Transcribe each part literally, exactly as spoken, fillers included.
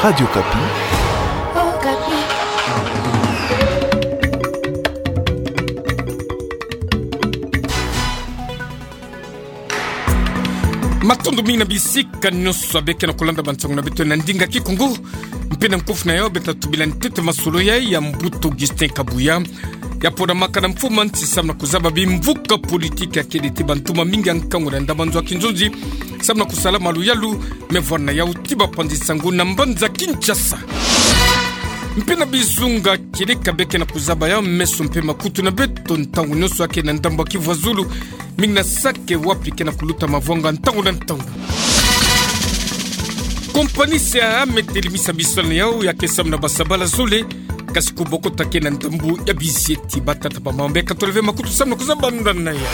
Radio Okapi. Matondo mingi na bisika nyonso abe ke na kulanda bansangu na beto na ndinga Kikongo. Mpe na nkofu na yau beto tubila ntete masolo ya, ya Mbuta Augustin Kabuya. Ya ponamaka na mfumu a nsi samu na kuzaba bimvuka politiki ya kele ti bantuma mingi ya nkangu na ndambu nzo ya kinzonzi, samu na kusala maluyalu, me vwanda yau ti bapanzi nsangu na mbanza Kinshasa. Mpe na bizunga kieleka be ke na kuzaba ya meso mpe makutu na beto ntangu nyonso ya ke na ndambu ya Kivu ya Zulu, mingi na sake wapi ke na kuluta mavwanga ntangu na ntangu. Kompani C A A me telimisa bisalu na yau ya ke samu na basabala zole, kasi kubokota ke na ndambu ya bizieti. Batata, bamama, beka toleve makutu samu na kuzaba nda na yau.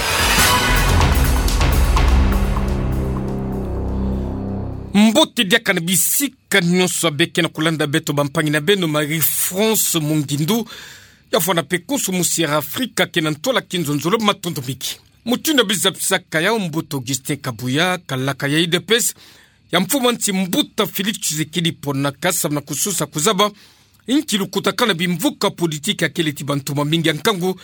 Mbote diaka na bisika nyonso abe ke na kulanda beto, bampangi na beno Marie-France Mungindu, ya vwanda mpe konso musi Air Afrika ke na ntwala kinzonzolo, matondo mingi. Mutindu ya bizapisaka yau, Mbuta Augustin Kabuya, kalaka ya U D P S ya mfumu a nsi Mbuta Félix Tshisekedi ponaka samu na kusosa kuzaba inki lukutakanu na bimvuka politiki ya kele ti bantuma mingi ya nkangu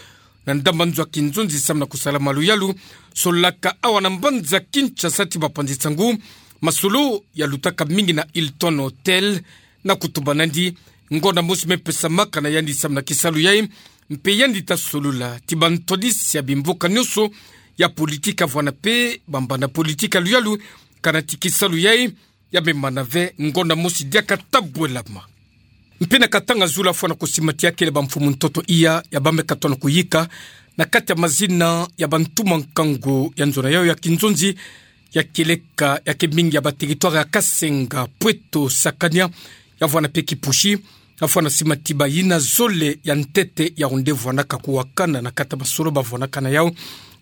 na ndambu nzo ya kinzonzi samu na kusala maluyalu, solaka awa na mbanza Kinshasa ti bapanzi nsangu. Masolo yalutaka mingi na Hilton Hotel, na kutuba nandi ngonda mosi me pesamaka na yandi samu na kisalu yai, mpe yandi ta solola ti bantwadisi ya bimvuka nyonso ya politiki ya vwanda mpe bambanda politiki ya luyalu, kana ti kisalu yai ya me mana ve ngonda mosi diaka ta bwelama. Mpe na katanga zulu afwana kusimatia kele bamfumu ntoto iya ya ba me katona kuyika na kati ya mazina ya bantuma nkangu ya nzo na yau ya kinzonzi, ya kieleka ya ke mingi ya ba territoire ya Kasenga, Pweto, Sakania, ya vwanda mpe Kipushi. Afwana simati bayina zole ya ntete ya onde vwanaka kuwakana na kati ya masolo bavwanaka na yau,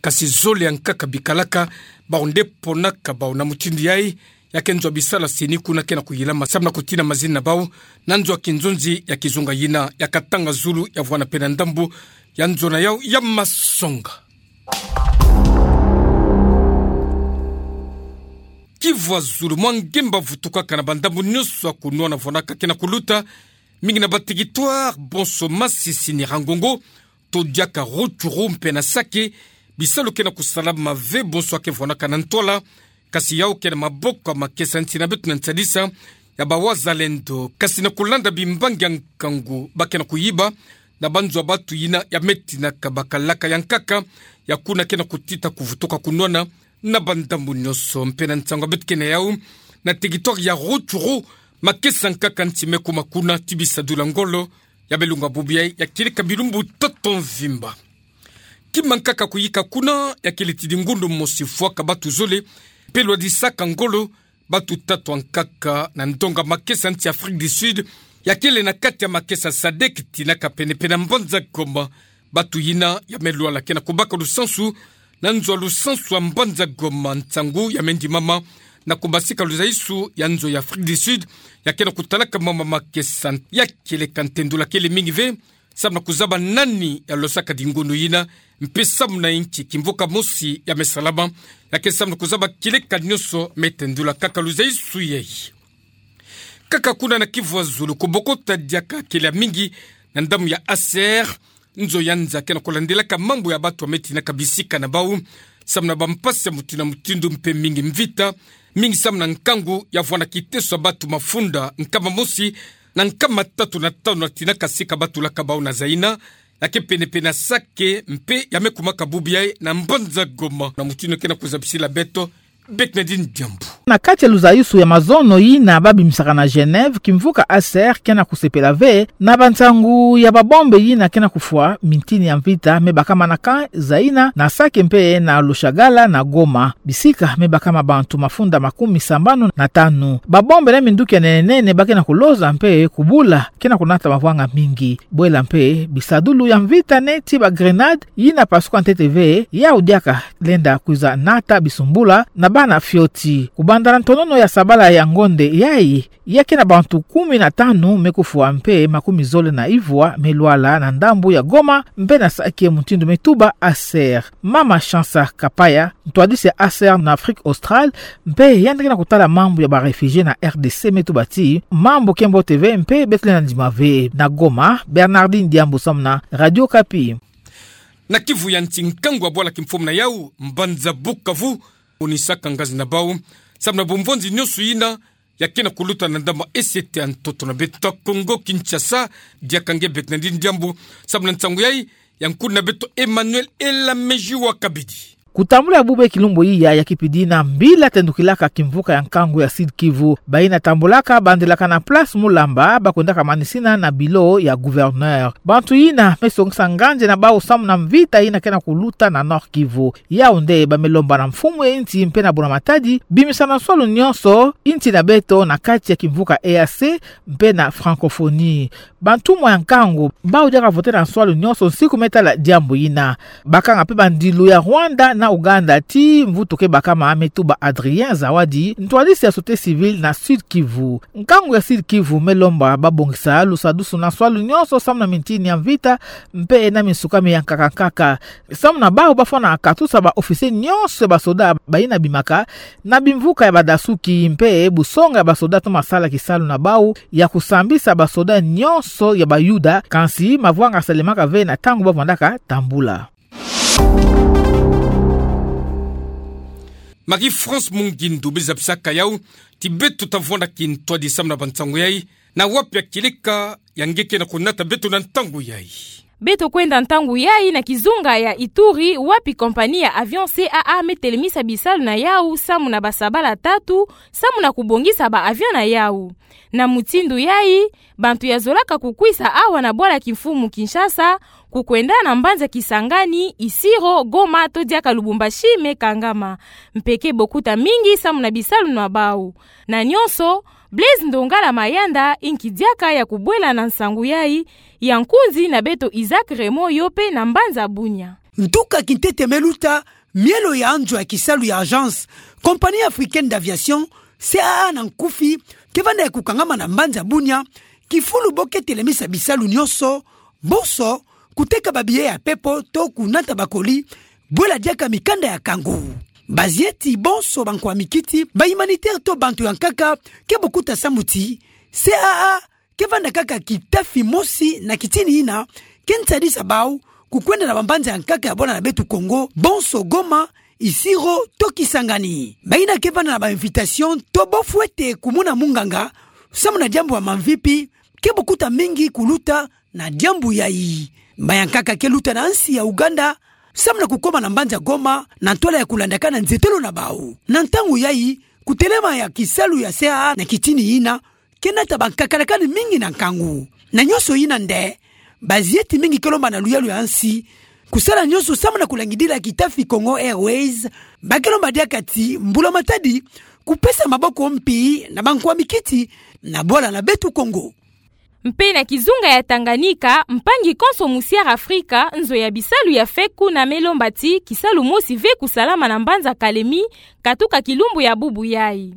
kasi zole ya nkaka bikalaka ba onde ponaka bau. Na mutindu yai, ya ke nzo ya bisalu ya CENI kuna ke na kuyilama samu na kutina mazina na bau na nzo ya kinzonzi ya kizunga yina ya katanga zulu ya vwanda mpe na ndambu ya nzo na yau ya masonga. Kivu ya Zulu, mwa ngemba vutukaka na bandambu nyonso ya kunwana vwanaka ke na kuluta, mingi na ba territoire bonso Masisi, Nyiragongo, to diaka Rutshuru mpe na Sake, bisalu ke na kusalama ve bonso ya ke vwanaka na ntwala, kasi yau ke na maboko ya makesa nsi na beto na nsadisa ya ba wazalendo, kasi na kulanda bimbangi ya nkangu ba ke na kuyiba na banzo ya batu yina ya me tinaka bakalaka ya nkaka ya kuna ke na kutita kuvutuka kunwana na bandambu nyonso. Mpe na nsangu ya beto ke na yau, na territoire ya Rutshuru, makesa nkaka nsi me kuma kuna ti bisadulu ya ngolo ya me lunga bubu yai ya kieleka bilumbu tatu mvimba. Kima nkaka kuyika kuna ya kieleka ti ngundu mosi fwaka batu zole, mpe lwadisaka ngolo batu tatu ya nkaka na ndonga makesa nsi Afrique du Sud, ya kele na kati ya makesa SADC, tinaka pene-pene na mbanza Goma. Batu yina ya me lwala ke na kubaka lusansu na nzo ya lusansu ya mbanza Goma, nsangu ya me ndimama na kubasika luzaisu ya nzo ya Afrique du Sud ya ke na kutalaka mama makesa. Ya kieleka ntendula kele mingi ve samu na kuzaba nani ya losaka ngundu yina, mpe samu na inki kimvuka mosi ya me salama ya ke samu na kuzaba kieleka nyonso. Me tendula kaka luzaisu yai. Kaka kuna na Kivu ya Zulu, kubokota diaka kele ya mingi na ndambu ya A C R, nzo ya nza ke na kulandelaka mambu ya batu ya me tinaka bisika na bau samu na bampasi ya mutindu na mutindu mpe mingi mvita, mingi samu na nkangu ya vwanda kiteso ya batu mafunda nkama mosi na nkama tatu na tanu na tinaka sika batu laka bau na Zaina, ya ke pene-pene na Sake, mpe ya me kumaka bubu yai na mbanza Goma, na mutindu ke na kuzabisila beto Bernadine Diambu. Na kati ya luzaisu ya mazono yina ba bimisaka na Genève, kimvuka A C R ke na kusepela ve na bansangu ya babombe yina ke na kufwa mintini ya mvita me bakama na camp Zaina, na Sake mpe na Lushagala na Goma, bisika me bakama bantu mafunda makumi sambanu na tanu. Babombe na minduki ya nene-nene ba ke na kuloza mpe kubula ke na kunata mavwanga mingi. Bwela mpe bisadulu ya mvita neti ba grenade yina pasuka ntete ve, yau diaka lenda kwiza nata bisumbula na Ana fioti. Kubanda na ntonono ya sabala ya ngonde yayi, ya ke na bantu kumi na tanu me kufwa mpe makumi zole na ivwa me lwala na ndambu ya Goma mpe na saki ya mutindu me tuba Aser. Mama Chansa Kapaya, ntwadisi ya Aser na Afrique Australe, mpe yandi ke na kutala mambu ya ba réfugiés na R D C me tuba ti mambu ke mbote ve mpe beto lenda ndima ve. Na Goma, Bernardine Diambu samu na Radio Okapi. Na Kivu ya nti, nkangu ya bwala kimfumu na yau, mbanza Bukavu, monisaka ngazi na bau samu na bumvonzi nyonso yina ya ke na kuluta na ndambu esi ete ya ntoto na beto Kongo Kinshasa. Diaka nge Bernardine Diambu samu na nsangu yayi, ya nkundi na beto Emmanuel Elamejiwa Kabidi. Kutambula ya bub'e kilumbu iya ya kipidi na mbila tendukilaka kimvuka ya nkangu ya Sud-Kivu. Bayina tambulaka bandilaka na place Mulamba, bakwendaka manisina na bilo ya gouverneur. Bantu yina me songisa nganzi na bau samu na mvita yina ke na kuluta na Nord-Kivu. Yau nde ba me lomba na mfumu ya nti mpe na buna Matadi bimisa na nswalu nyonso nti na beto na kati ya kimvuka E A C mpe na francophonie. Bantumwa ya nkangu bau diaka vote na nswalu nyonso nsiku me tala diambu yina. Bakanga mpe bandilu ya Rwanda na Ouganda ti mvutu ke bakama, me tuba Adrien Zawadi, ntwadisi ya société civile na Sud-Kivu. Nkangu ya Sud-Kivu me lomba babongisa lusadusu na nswalu nyonso samu na mintini ya mvita mpe na minsukami ya nkaka nkaka. Samu na bau bafwana katusa ba officiers nyonso ya basoda bayina bimaka na bimvuka ya badasuki mpe busonga ya basoda toma sala kisalu na bau ya kusambisa basoda nyonso ya Bayuda, kansi mavwanga salemaka ve na ntangu bavwandaka tambula. Marie-France Mungindu, biza bisaka yau ti beto ta vwanda kintwadi samu na bansangu yayi. Na wapi ya kileka ya nge ke na kunata beto na ntangu yayi? Beto kwenda ntangu yayi na kizunga ya Ituri, wapi compagnie ya avion C A A me telemisa bisalu na yau samu na basabala tatu, samu na kubongisa ba avion na yau. Na mutindu yayi, bantu ya zolaka kukwisa awa na bwala kimfumu Kinshasa, kukwenda na mbanza Kisangani, Isiro, Goma to diaka Lubumbashi me kangama. Mpe ke bokuta mingi samu na bisalu na bau. Na nyonso, Blaise Ndongala Mayanda inki diaka ya kubwela na nsangu yayi, ya nkunzi na beto Isaac Raymond yo mpe na mbanza Bunia. Ntuka kintete me luta mielo ya nzo ya kisalu ya agence, Compagnie Africaine d'Aviation, C A A na nkufi, ke vanda ya kukangama na mbanza Bunia, kifulu bo ke telemisa bisalu nyonso, bonso kuteka ba billets ya pepo to kunata ba colis, bwela diaka mikanda ya nkangu. Bazeyi ti bonso bankwa mikiti, ba humanitaires to bantu ya nkaka, ke bokuta samu ti C A A ke vanda kaka kitafi mosi na kitini yina ke nsadisa bau kukwenda na bambanza ya nkaka ya bwala na beto Kongo, bonso Goma, Isiro to Kisangani. Bayina ke vanda na ba invitation to bo fwete kumona munganga samu na diambu ya mamvipi, ke bokuta mingi kuluta na diambu yayi. Bayankaka ke luta na nsi ya Ouganda samu na kukoma na mbanza Goma na ntwala ya kulandakana nzetelo na bau. Na ntangu yayi, kutelema ya kisalu ya C A A na kitini yina ke nata bankakalakani mingi na nkangu. Na nyonso yina nde, bazeyi ti mingi ke lomba na luyalu ya nsi kusala nyonso samu na kulangidila kitafi Congo Airways. Ba ke lomba diaka ti mbula matadi kupesa maboko mpi na bankwa mikiti na bwala na beto Kongo. Mpe na kizunga ya Tanganyika, mpangi konso mu Sierra Africa, nzo ya bisalu ya fake kuna me lomba ti kisalu mosi ve kusalama na mbanza Kalemi, katuka kilumbu ya bubu yayi.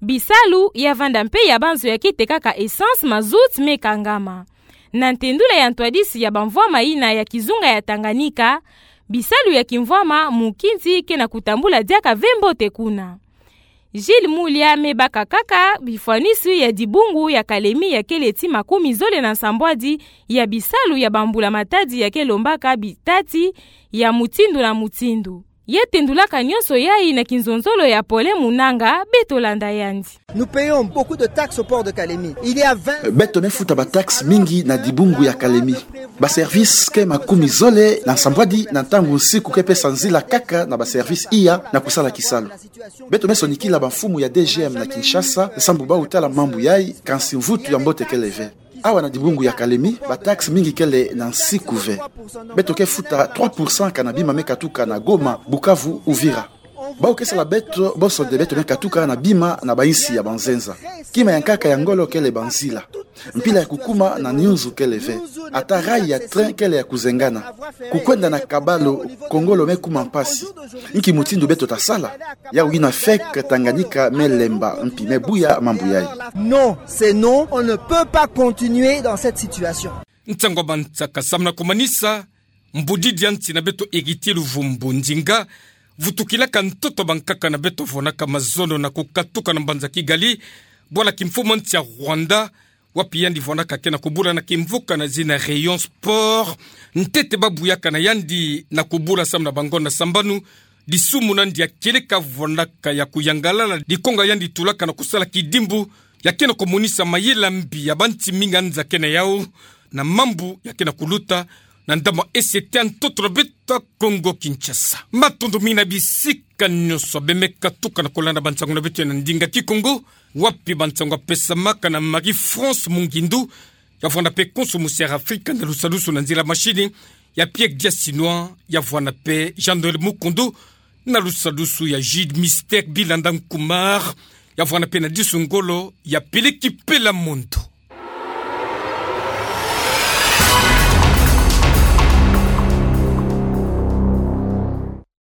Bisalu ya vanda mpe ya banzo ya ke tekaka essence, mazout me kangama. Na ntendula ya ntwadisi ya bamvwama yina ya kizunga ya Tanganyika, bisalu ya kimvwama mukinzi ke na kutambula diaka ve mbote kuna. Gilles Mulia me baka kaka bifwanisu ya dibungu ya Kalemi ya kele ti makumi zole na nsambwadi ya bisalu ya bambula matadi ya ke lombaka bitati ya mutindu na mutindu. Ya tendulaka nyonso yayi na kinzonzolo ya Paulin Munanga, beto landa yandi. Nous payons beaucoup de taxes au port de Kalemi. Il y a vingt... Beto me futa ba taxes mingi na dibungu ya Kalemi. Ba services ke makumi zole na nsambwadi na ntangu nsiku ke pesa nzila kaka na ba services iya na kusala kisalu. Beto me sonikila bamfumu ya D G M na Kinshasa, sambu bau tala mambu yayi, kansi mvutu ya mbote kele ve. Awa na dibungu ya Kalemi, ba taxes mingi kele na nsiku ve. Beto ke futa trois pour cent kana bima me katuka na Goma, Bukavu, Uvira. Bau ke sala beto bonso nde beto me katuka na bima na bainsi ya banzenza. Kima ya nkaka ya ngolo kele banzila. Mpila ya kukuma na nyunzu kele ve. Ata rail ya train kele ya kuzengana. Kukwenda na kabalo, Kongo lo me kuma mpasi. Nki mutindu beto ta sala? Yawu yina feke Tanganyika me lemba mpi me buya mambu yayi. Non, c'est non, on ne peut pas continuer dans cette situation. Nsangu a Mantsaka, samu na kumanisa mbudidi a nsi na beto Héritier Luvumbu Ndinga, vutukilaka ntoto bankaka na beto vwanaka mazono na kukatuka na mbanza Kigali, bwala kimfumu a nsi ya Rwanda, wapi yandi vwanaka ke na kubula na kimvuka na zina Rayon Sport, ntete ba buyaka na yandi na kubula samu na bangonda sambanu, disumu na ndia kieleka vwanaka ya kuyangalala, dikonga yandi tulaka na kusala kidimbu, ya ke na kumonisa mayela mbi ya bansi mingi anza ke na yawu, na mambu ya ke na kuluta, na ndambu a ese ti ntoto na beto Kongo Kinshasa. Matondo mingi na bisika nyonso beno me katuka na kulanda bansangu na beto ya na ndinga Kikongo, wapi bansangu ya pesamaka na Marie-France Mungindu, ya vwanda mpe konso musi ya Afrika na lusadusu na nzila mashini, ya Pierre Diasinwa, ya vwanda mpe Jean-Noël Mukundu, na lusadusu ya Jude Mister Bilanda Nkumar, ya vwanda mpe na disu ngolo, ya peleki pela mondo.